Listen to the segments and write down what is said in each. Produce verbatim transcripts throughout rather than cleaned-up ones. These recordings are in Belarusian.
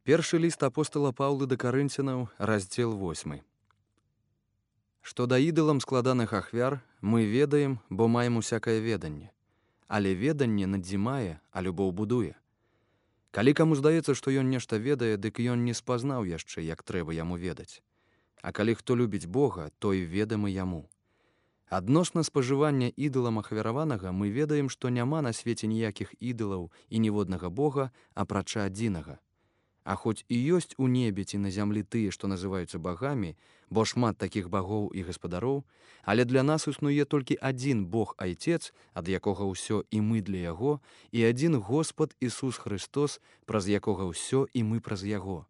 Першы ліст апостала Паўла да Карынцянаў, раздзел восьмы. Што да ідалам складаных ахвяр мы ведаем, бо маем усякае веданне. Але веданне надзімае, а любоў будуе. Калі каму здаецца, што ён нешта ведае, дык ён не спазнаў яшчэ, як трэба яму ведаць. А калі хто любіць Бога, той ведамы яму. Адносна спажывання ідалам ахвяраванага мы ведаем, што няма на свеце ніякіх ідалаў і ніводнага Бога, апрача адзінага. А хоць і ёсць у небе ці на зямлі тыя, што называюцца багамі, бо шмат такіх багоў і гаспадароў, але для нас існуе толькі адзін Бог Айцец, ад якога ўсё і мы для Яго, і адзін Господ Ісус Христос, праз якога ўсё і мы праз Яго.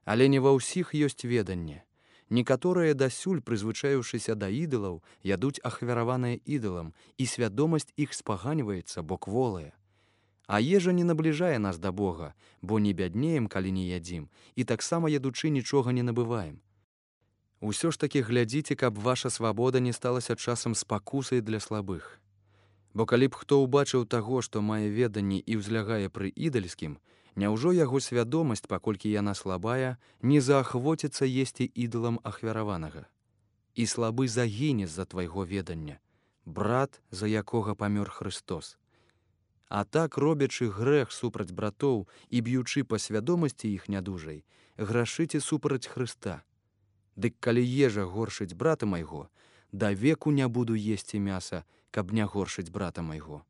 Але не ва ўсіх ёсць веданне. Некаторыя дасюль, прызвычаіўшыся да ідалаў, ядуць ахвяраванае ідалам, і свядомасць іх спаганьваецца, бо кволая. А ежа не набліжае нас да Бога, бо не бяднеем, калі не ядзім, і таксама ядучы нічога не набываем. Усё ж такі глядзіце, каб ваша свабода не сталася часам спакусай для слабых. Бо калі б хто ўбачыў таго, што мае веданне і ўзлягае пры ідальскім, няўжо яго свядомасць, паколькі яна слабая, не заахвоціцца есці ідалам ахвяраванага? І слабы загіне з-за твайго ведання, брат, за якога памёр Христос. А так, робячы грэх супраць братоў і б'ючы па свядомасці іх нядужай, грашыце супраць Хрыста. Дык калі ежа горшыць брата майго, да веку не буду есці мяса, каб не горшыць брата майго.